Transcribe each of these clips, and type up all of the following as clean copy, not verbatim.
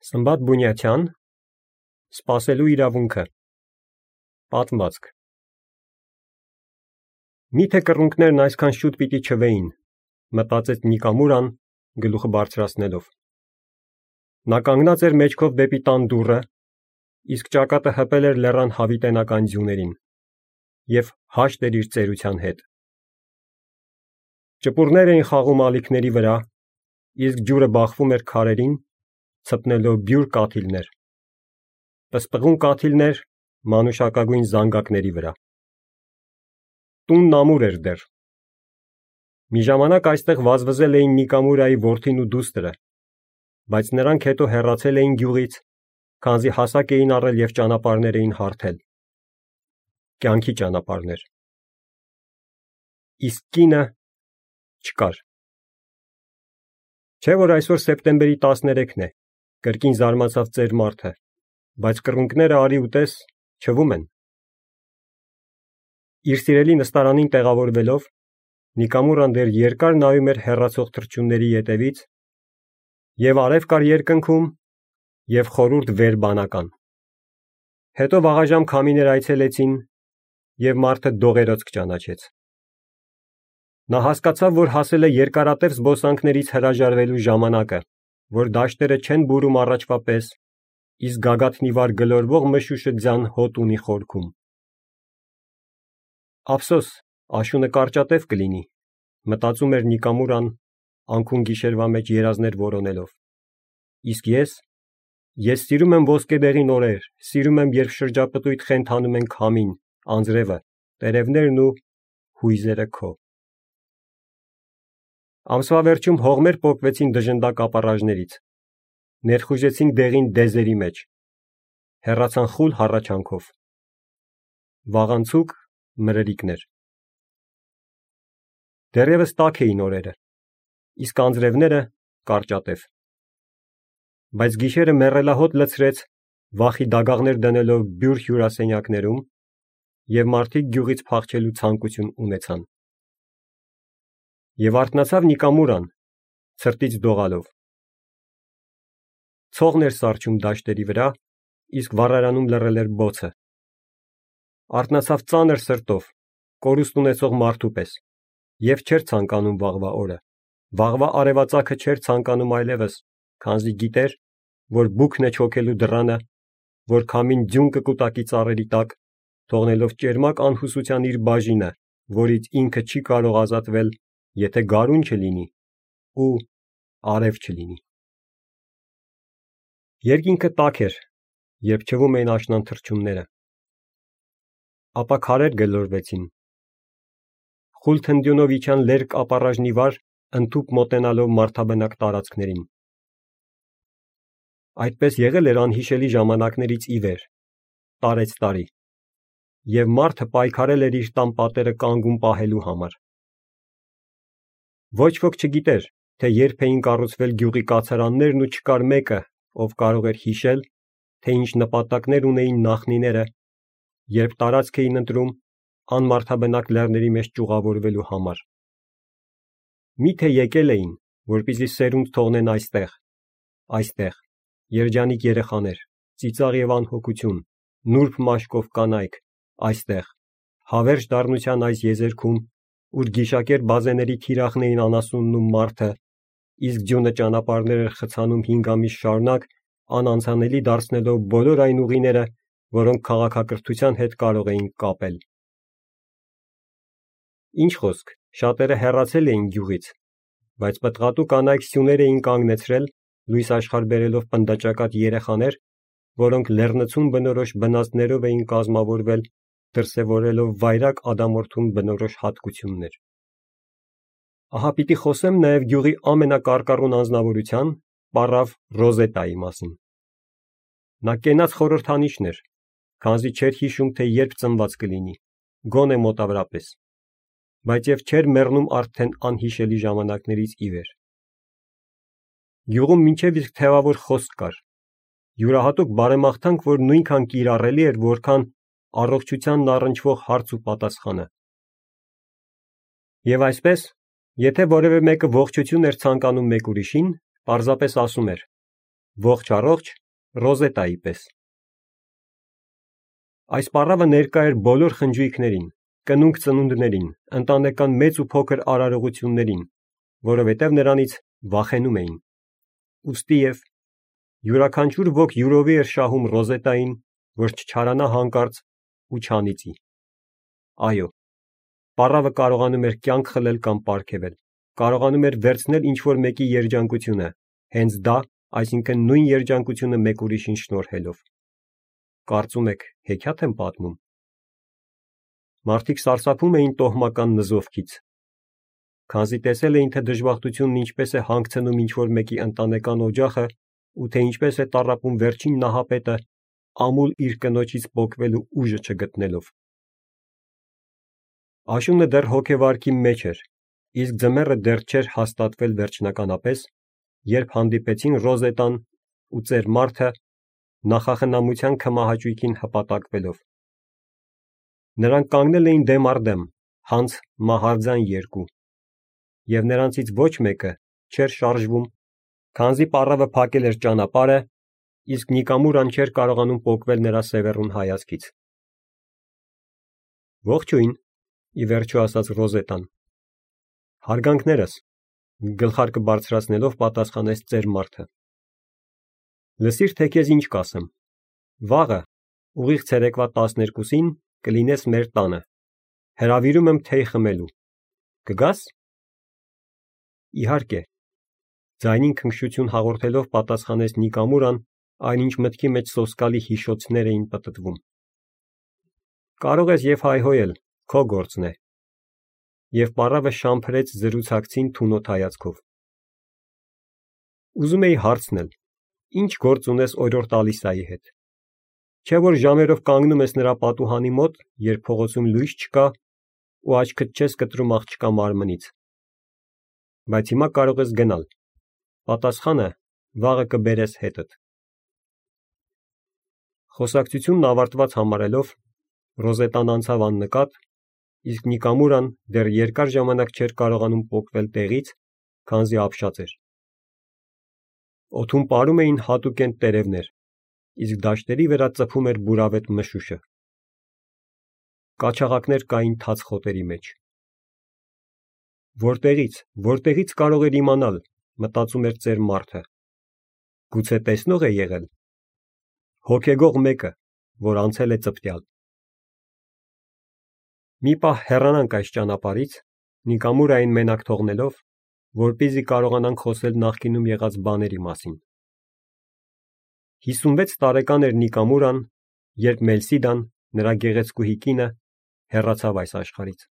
Սմբատ Բունյաթյան Սպասելու իրավունքը Պատմվածք Միթե կռունկներն այսքան շուտ պիտի չվեին, մտածեց Նիկամուրան գլուխը բարձրացնելով։ Նա կանգնած էր մեջքով դեպի տան դուռը, իսկ ճակատը հպել էր լեռան հավիտենական ձյուներին և հաշտ էր իր ծերության հետ։ Ճպուրներ էին խաղում ալիքների վրա, իսկ ջուրը բախվում էր քարերին, ցպնելով բյուր կաթիլներ, պսպղուն կաթիլներ մանուշակագույն զանգակների վրա։ Տունն ամուր էր դեռ։ Մի ժամանակ այստեղ վազվզել էին Նիկամուրայի որդին ու դուստրը, բայց նրանք հետո հեռացել էին գյուղից, քանզի հասակ էին առել և ճանապարհներ էին հարթել։ Կյանքի ճանապարհներ։ Իսկ կինը չկար։ Չէ՞ որ այսօր սեպտեմբերի 13-ն է, կրկին զարմացավ ծեր մարդը, բայց կռունկները արի ու տես չվում են։ Իր սիրելի նստարանին տեղավորվելով, Նիկամուրան դեռ երկար նայում էր հեռացող թռչունների ետևից, և արև կար երկնքում, և խորուրդ վեր բանական։ Հետո վաղաժամ քամիներ այցելեցին, և մարդը դողերոց կճանաչեց։ Նա հասկացավ, որ հասել է երկարատև զբոսանքներից հրաժարվելու ժամանակը, որ դաշտերը չեն բուրում առաջվա պես, իսկ գագաթնի վար գլորվող մշուշը ձյան հոտ ունի խորքում։ Ափսոս, աշունը կարճատև կլինի, մտածում էր Նիկամուրան, անքուն գիշերվա մեջ երազներ որոնելով։ Իսկ ես սիրում եմ ոսկեդեղին օրեր, սիրում եմ, երբ շրջապտույտ խենթանում են քամին, անձրևը, տերևներն ու հույզերը քո։ Ամսվա վերջում հողմեր պոկվեցին դժնդակ ապառաժներից, ներխուժեցին դեղին դեզերի մեջ, հեռացան խուլ հառաչանքով։ Վաղանցուկ մրրիկներ։ Դեռևս տաք էին օրերը, իսկ անձրևները կարճատև։ Բայց գիշերը մեռելահոտ լցրեց, վախի դագաղներ դնելով բյուր հյուրասենյակներում, և մարդիկ գյուղից փախչելու ցանկություն ունեցան։ Եվ արթնացավ Նիկամուրան, ցրտից դողալով։ Ցողն էր սառչում դաշտերի վրա, իսկ վառարանում լռել էր բոցը։ Արթնացավ ծանր սրտով, կորուստ ունեցող մարդու պես, և չէր ցանկանում վաղվա օրը, վաղվա արևածագը չէր ցանկանում այլևս, քանզի գիտեր, որ բուքն է չոքելու դռանը, որ քամին ձյուն կկուտակի ծառերի տակ, թողնելով ճերմակ անհուսության իր բաժինը, որից ինքը չի կարող ազատվել, եթե գարուն չլինի ու արև չլինի։ Երկինքը տաք էր, երբ չվում էին աշնան թռչունները։ Ապա քարեր գլորվեցին։ Խուլ թնդյունով իջան լերկ ապառաժնի վար, ընդհուպ մոտենալով մարդաբնակ տարածքներին։ Այդպես եղել էր անհիշելի ժամանակներից ի վեր, տարեց տարի, և մարդը պայքարել էր իր տան պատերը կանգուն պահելու համար։ Ոչ ոք չգիտեր, թե երբ էին կառուցվել գյուղի կացարաններն ու չկար մեկը, ով կարող էր հիշել, թե ինչ նպատակներ ունեին նախնիները, երբ տարածք էին ընտրում անմարդաբնակ լեռների մեջ ճյուղավորվելու համար։ Միթե եկել էին, որպեսզի սերունդ թողնեն այստեղ, երջանիկ երեխաներ, ծիծաղ և անհոգություն, նուրբ մաշկով կանայք, այստեղ, հավերժ դառնության այս եզերքում, ուր գիշակեր բազեների թիրախն էին անասունն ու մարդը, իսկ ձյունը ճանապարհներ էր խցանում 5 ամիս շարունակ, անանցանելի դարձնելով բոլոր այն ուղիները, որոնք քաղաքակրթության հետ կարող էին կապել։ Ինչ խոսք, շատերը հեռացել էին գյուղից, բայց պտղատու կանայք սյուներ էին կանգնեցրել, լույս աշխարհ բերելով պնդաճակատ երեխաներ, որոնք լեռնցուն բնորոշ բնածներով էին կազմավորվել, դրսևորելով վայրագ ադամորդուն բնորոշ հատկություններ։ Ահա պիտի խոսեմ նաև գյուղի ամենակարկառուն անձնավորության՝ պառավ Ռոզետայի մասին։ Նա կենաց խորհրդանիշն էր, քանզի չէր հիշում, թե երբ ծնված կլինի, գոնե մոտավորապես, բայց և չէր մեռնում արդեն անհիշելի ժամանակներից ի վեր։ Գյուղում մինչև իսկ թևավոր խոսք կար, յուրահատուկ բարեմաղթանք, որ նույնքան կիրառելի էր, որքան առողջությանն առնչվող հարց ու պատասխանը։ Եվ այսպես, եթե որևէ մեկը ողջություն էր ցանկանում մեկ ուրիշին, պարզապես ասում էր. ողջ առողջ Ռոզետայի պես։ Այս պառավը ներկա էր բոլոր խնջույքներին, կնունկ ծնունդներին, ընտանեկան մեծ ու փոքր արարողություններին, որովհետև նրանից վախենում էին։ Ուստի և յուրաքանչյուր ոք յուրովի էր շահում Ռոզետային, որ չչարանա հանկարծ ու չանիծի։ Այո, պառավը կարողանում էր կյանք խլել կամ պարգևել, կարողանում էր վերցնել ինչ-որ մեկի երջանկությունը, հենց դա, այսինքն նույն երջանկությունը մեկ ուրիշին շնորհելով։ Կարծում եք, հեքիաթ եմ պատմում։ Մարդիկ սարսափում էին տոհմական նզովքից, քանզի տեսել էին, թե դժբախտությունն ինչպես է հանգցնում ինչ-որ մեկի ընտանեկան օջախը ու թե ինչպես է տառապում վերջին նահապետը ամուլ իր կնոջից պոկվելու ուժը չգտնելով։ Աշունը դեռ հոգեվարքի մեջ էր, իսկ ձմեռը դեռ չէր հաստատվել վերջնականապես, երբ հանդիպեցին Ռոզետան ու ծեր Մարթը նախախնամության քմահաճույքին հպատակվելով։ Նրանք կանգնել էին դեմ առ դեմ, հանց մահարձան երկու, և նրանցից ոչ մեկը չէր շարժվում, քանզի պառավը փակել էր ճանապարհը, իսկ Նիկամուրան չէր կարողանում պոկվել նրա սևեռուն հայացքից։ Ողջույն, ի վերջո ասաց Ռոզետան։ Հարգանքներս, գլխարկը բարձրացնելով պատասխանեց ծեր Մարթը։ Լսիր, թե քեզ ինչ կասեմ։ Վաղը, ուղիղ ցերեկվա 12-ին կլինես մեր տանը։ Հրավիրում եմ թեյ խմելու։ Կգաս։ Իհարկե, ձայնին քնքշություն հաղորդելով պատասխանեց Նիկամուրան, այնինչ մտքի մեջ սոսկալի հիշոցներ էին պտտվում։ Կարող ես և հայհոյել, քո գործն է։ Եվ պառավը շամփրեց զրուցակցին թունոտ հայացքով։ Ուզում էի հարցնել, ինչ գործ ունես օրորտ Ալիսայի հետ։ Չէ՞ որ ժամերով կանգնում ես նրա պատուհանի մոտ, երբ փողոցում լույս չկա ու աչքդ չես կտրում աղջկա մարմնից։ Բայց հիմա կարող ես գնալ։ Պատասխանը վաղը կբերես հետդ։ Խոսակցությունն ավարտված համարելով, Ռոզետան անցավ աննկատ, իսկ Նիկամուրան դեռ երկար ժամանակ չէր կարողանում պոկվել տեղից, քանզի ապշած էր։ Օդում պարում էին հատուկենտ տերևներ, իսկ դաշտերի վրա ծփում էր բուրավետ մշուշը։ Կաչաղակներ կային թաց խոտերի մեջ։ Որտեղից կարող էր իմանալ, մտածում էր ծեր Մարթը։ Գուցե տեսնող է եղել։ Հոգեգող մեկը, որ անցել է ծպտյալ։ Մի պահ հեռանանք այս ճանապարհից, Նիկամուրային մենակ թողնելով, որպեսզի կարողանանք խոսել նախկինում եղած բաների մասին։ 56 տարեկան էր Նիկամուրան, երբ Մելսիդան, նրա գեղեցկուհի կինը, հեռացավ այս աշխարհից։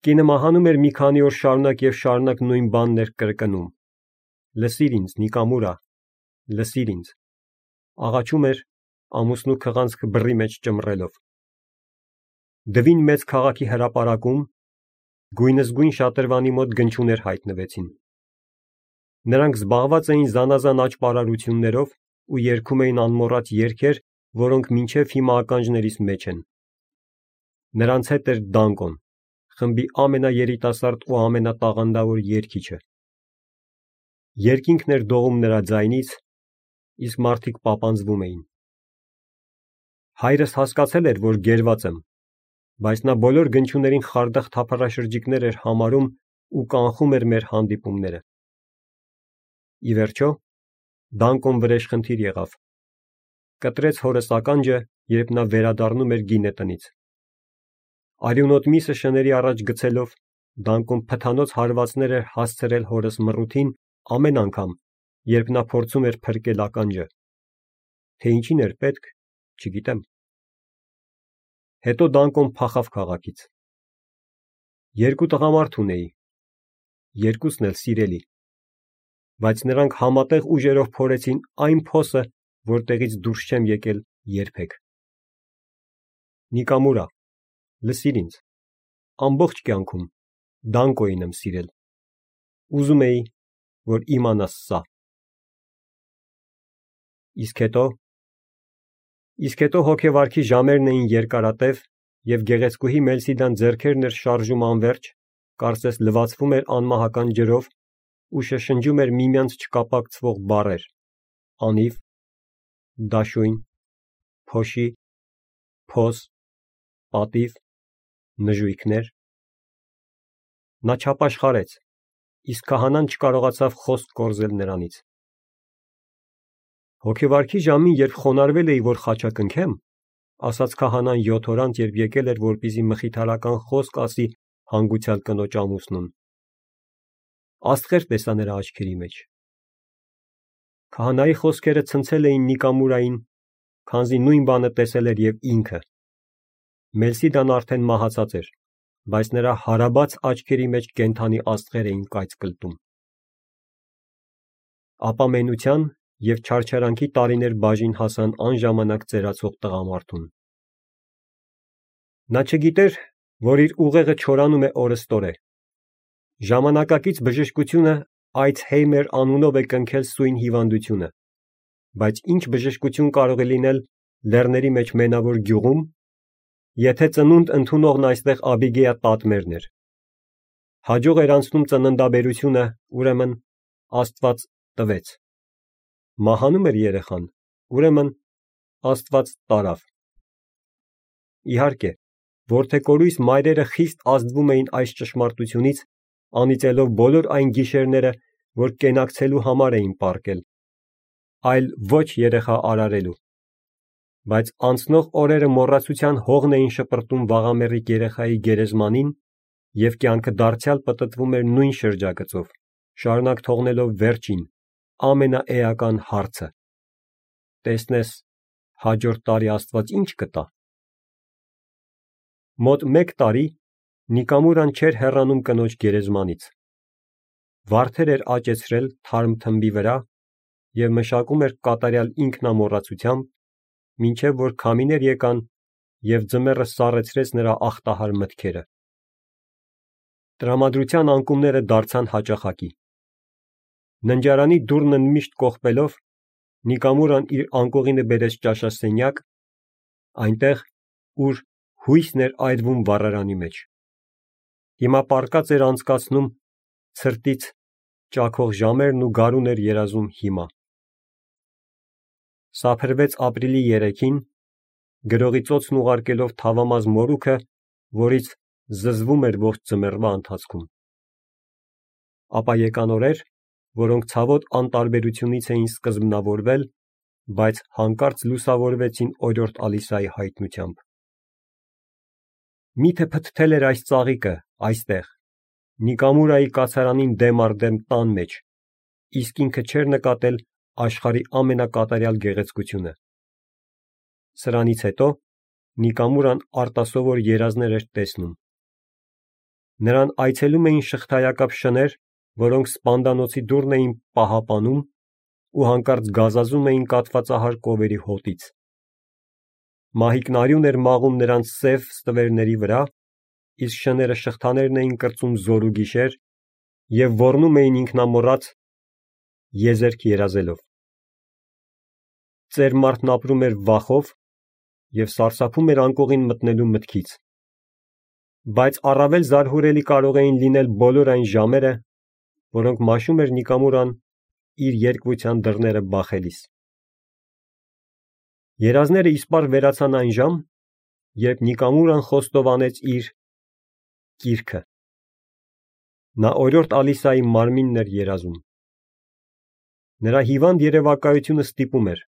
Կինը մահանում էր մի քանի օր շարունակ և շարունակ նույն բանն էր կրկնում. լսիր ինձ, Նիկամուրա, լսիր ինձ։ Աղաչում էր, ամուսնու քղանցքը բռի մեջ ճմռելով։ Դվին մեծ քաղաքի հրապարակում գույնզգույն շատրվանի մոտ գնչուներ հայտնվեցին։ Նրանք զբաղված էին զանազան աճպարարություններով ու երգում էին անմոռաց երգեր, որոնք մինչև հիմա ականջներիս մեջ են։ Նրանց հետ էր Դանկոն, խմբի ամենաերիտասարդ ու ամենատաղանդավոր երգիչը։ Երկինքն էր դողում նրա ձայնից, իսկ մարդիկ պապանձվում էին։ Հայրս հասկացել էր, որ գերված եմ, բայց նա բոլոր գնչուներին խարդախ թափառաշրջիկներ էր համարում ու կանխում էր մեր հանդիպումները։ Ի վերջո, Դանկոն վրեժխնդիր եղավ։ Կտրեց հորս ականջը, երբ նա վերադառնում էր գինետնից։ Արյունոտ միսը շների առաջ գցելով, Դանկոն փթանոց հարվածներ էր հասցրել հորս մռութին ամեն անգամ, երբ նա փորձում էր փրկել ականջը։ Թե ինչին էր պետք, չգիտեմ։ Հետո Դանկոն փախավ քաղաքից։ Երկու տղամարդ ունեի, երկուսն էլ սիրելի, բայց նրանք համատեղ ուժերով փորեցին այն փոսը, որտեղից դուրս չեմ եկել երբեք։ Նիկամուրա, լսիր ինձ, ամբողջ կյանքում Դանկոին եմ սիրել։ Ուզում էի, որ իմանաս սա։ Իսկ հետո հոգեվարքի ժամերն էին երկարատև, և գեղեցկուհի Մելսիդան ձեռքերն էր շարժում անվերջ, կարծես լվացվում էր անմահական ջրով ու շշնջում էր միմյանց չկապակցվող բառեր, անիվ, դաշույն, փոշի, փոս, պատիվ, նժույգներ։ Նա չապաշխարեց, իսկ քահանան չկարողացավ խոսք կորզել նրանից։ Հոգեվարքի ժամին, երբ խոնարհվել էի, որ խաչակնքեմ, ասաց քահանան 7 օր անց, երբ եկել էր, որպեսզի մխիթարական խոսք ասի հանգուցյալ կնոջ ամուսնուն։ Աստղեր տեսա նրա աչքերի մեջ։ Քահանայի խոսքերը ցնցել էին Նիկամուրային, քանզի նույն բանը տեսել էր եւ ինքը։ Մելսիդան արդեն մահացած էր, բայց նրա հարաբաց աչքերի մեջ կենդանի աստղեր էին կայծ կլտում։ Ապա մենության եւ չարչարանքի տարիներ բաժին հասան անժամանակ ծերացող տղամարդուն։ Նա չգիտեր, որ իր ուղեղը չորանում է օրըստօրե։ Ժամանակակից բժշկությունը Այցհեյմեր անունով է կնքել սույն հիվանդությունը, բայց ինչ բժշկություն կարող է լինել լեռների մեջ մենավոր գյուղում, եթե ծնունդ ընդունողն այստեղ Աբիգեյա տատմերն էր։ Հաջող էր անցնում ծննդաբերությունը, ուրեմն Աստված տվեց։ Մահանում էր երեխան, ուրեմն Աստված տարավ։ Իհարկե, որդեկորույս մայրերը խիստ ազդվում էին այս ճշմարտությունից, անիծելով բոլոր այն գիշերները, որ կենակցելու համար էին պառկել, այլ ոչ երեխա արարելու։ Բայց անցնող օրերը մոռացության հողն էին շպրտում վաղամեռիկ երեխայի գերեզմանին, և կյանքը դարձյալ պտտվում էր նույն շրջագծով, շարունակ թողնելով վերջին, ամենաէական հարցը. տեսնես, հաջորդ տարի Աստված ինչ կտա։ Մոտ 1 տարի Նիկամուրան չէր հեռանում կնոջ գերեզմանից։ Վարդեր էր աճեցրել թարմ թմբի վրա և մշակում էր կատարյալ ինքնամոռացությամբ, մինչև որ քամիներ եկան և ձմեռը սառեցրեց նրա ախտահար մտքերը։ Տրամադրության անկումները դարձան հաճախակի։ Ննջարանի դուռն միշտ կողպելով, Նիկամուրան իր անկողինը բերեց ճաշասենյակ, այնտեղ, ուր հույսն էր այրվում վառարանի մեջ։ Հիմա պառկած էր անցկացնում ցրտից ճաքող ժամերն ու գարուն էր երազում հիմա։ Սափրվեց ապրիլի 3-ին, գրողի ծոցն ուղարկելով թավամազ մորուքը, որից զզվում էր ողջ ձմեռվա ընթացքում։ Ապա եկան օրեր, որոնք ցավոտ անտարբերությունից էին սկզբնավորվել, բայց հանկարծ լուսավորվեցին օրիորդ Ալիսայի հայտնությամբ։ Միթե փթթել էր այս ծաղիկը, այստեղ, Նիկամուրայի կացարանին դեմ առ դեմ տան մեջ, իսկ ինքը չէր նկատել աշխարհի ամենակատարյալ գեղեցկությունը։ Սրանից հետո Նիկամուրան արտասովոր երազներ էր տեսնում։ Նրան այցելում էին շղթայակապ շներ, որոնք սպանդանոցի դուռն էին պահապանում ու հանկարծ գազազում էին կաթվածահար կովերի հոտից։ Մահիկն արյուն էր մաղում նրանց սև ստվերների վրա, իսկ շները շղթաներն էին կրծում զոր ու գիշեր և ոռնում էին ինքնամոռաց եզերք երազելով։ Ծեր մարդն ապրում էր վախով և սարսափում էր անկողին մտնելու մտքից։ Բայց առավել զարհուրելի կարող էին լինել բոլոր այն ժամերը, որոնք մաշում էր Նիկամուրան իր երկվության դռները բախելիս։ Երազները իսպառ վերացան այն ժամ, երբ Նիկամուրան խոստովանեց իր կիրքը։ Նա օրիորդ Ալիսայի մարմինն էր երազում։ Նրա հիվանդ երևակայությունը ստիպում էր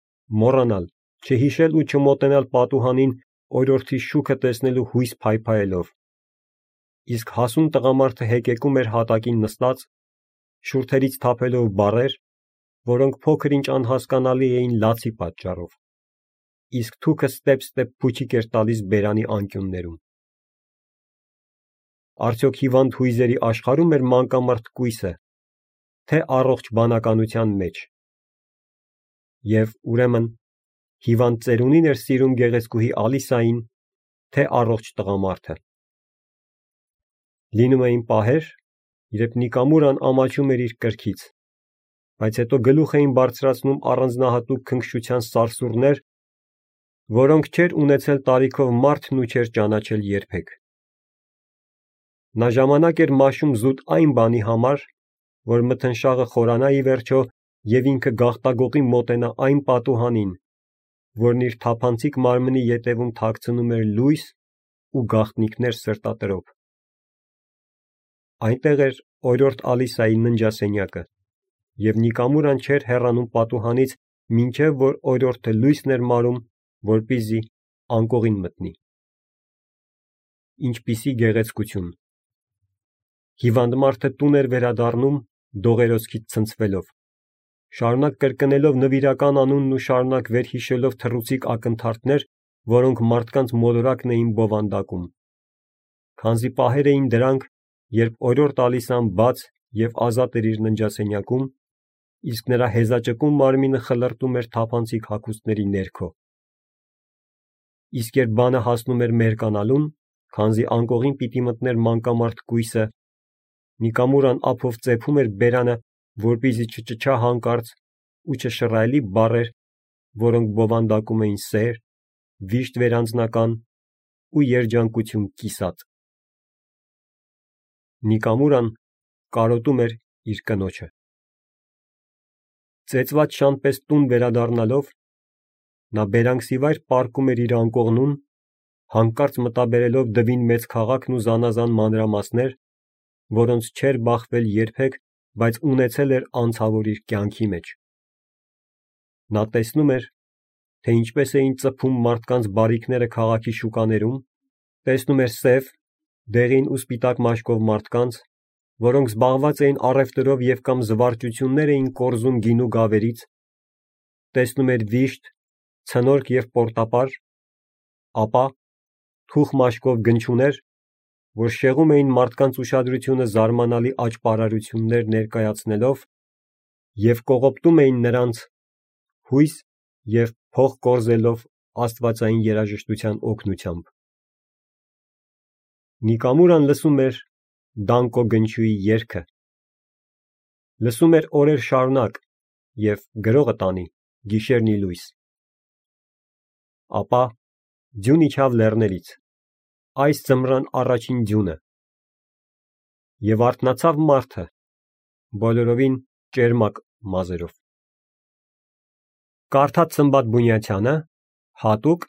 մոռանալ, չհիշել ու չմոտենալ պատուհանին օրիորդի շուքը տեսնելու հույս փայփայելով։ Իսկ հասուն տղամարդը հեկեկում էր հատակին նստած, շուրթերից թափելով բառեր, որոնք փոքր ինչ անհասկանալի էին լացի պատճառով, իսկ թուքը ստեպ-ստեպ փուչիկ էր տալիս բերանի անկյուններում։ Արդյոք հիվանդ հույզերի աշխարհո՞ւմ էր մանկամարդ կույսը, թե առողջ բանականության մեջ։ Եվ ուրեմն հիվանդ ծերունին էր սիրում գեղեցկուհի Ալիսային, թե առողջ տղամարդը։ Լինում էին պահեր, երբ Նիկամուրան ամաչում էր իր կրքից, բայց հետո գլուխ էին բարձրացնում առանձնահատուկ քնքշության սարսուռներ, որոնք չէր ունեցել տարիքով մարդն ու չէր ճանաչել երբեք։ Նա ժամանակ էր մաշում զուտ այն բանի համար, որ մթնշաղը խորանա ի վերջո և ինքը գաղտագողի մոտենա այն պատուհանին, որն իր թափանցիկ մարմնի ետևում թաքցնում էր լույս ու գաղտնիքներ սրտատրով։ Այնտեղ էր օրիորդ Ալիսայի ննջասենյակը, և Նիկամուրան չէր հեռանում պատուհանից, մինչև որ օրիորդը լույսն էր մարում, որպեսզի անկողին մտնի։ Ինչպիսի գեղեցկություն։ Հիվանդ մարդը տուն էր վերադառնում դողերոցքից ցնցվելով, շարունակ կրկնելով նվիրական անունն ու շարունակ վերհիշելով թռուցիկ ակնթարթներ, որոնք մարդկանց մոլորակն էին բովանդակում։ Քանզի պահեր էին դրանք, երբ օրիորդ Ալիսան բաց և ազատ էր իր ննջասենյակում, իսկ նրա հեզաճկուն մարմինը խլրտում էր թափանցիկ հագուստների ներքո։ Իսկ երբ բանը հասնում էր մերկանալուն, քանզի անկողին պիտի մտներ մանկամարդ կույսը, Նիկամուրան ափով ծեփում էր բերանը, որպեսզի չճչա հանկարծ ու չշռայլի բառեր, որոնք բովանդակում էին սեր, վիշտ վերանձնական ու երջանկություն կիսած։ Նիկամուրան կարոտում էր իր կնոջը։ Ծեծված շան պես տուն վերադառնալով, նա բերանքսիվայր պառկում էր իր անկողնուն, հանկարծ մտաբերելով դվին մեծ քաղաքն ու զանազան մանրամասներ, որոնց չէր բախվել երբեք, բայց ունեցել էր անցավոր իր կյանքի մեջ։ Նա տեսնում էր, թե ինչպես էին ծփում մարդկանց բարիքները քաղաքի շուկաներում, տեսնում էր սև, դեղին ու սպիտակ մաշկով մարդկանց, որոնք զբաղված էին առևտրով և կամ զվարճություններ էին կորզում գինու գավերից, տեսնում էր վիշտ, ցնորք և պորտապար, ապա թուխ մաշկով գնչուներ, որ շեղում էին մարդկանց ուշադրությունը զարմանալի աճպարարություններ ներկայացնելով և կողոպտում էին նրանց, հույս և փող կորզելով աստվածային երաժշտության օգնությամբ։ Նիկամուրան լսում էր Դանկո գնչուի երգը, լսում էր օրեր շարունակ և գրողը տանի գիշերն ի լույս։ Ապա ձյուն իջավ լեռներից, այս ձմռան առաջին ձյունը, և արթնացավ մարդը, բոլորովին ճերմակ մազերով։ Կարդաց Սմբատ Բունյացյանը հատուկ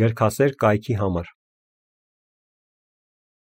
գրքասեր կայքի համար։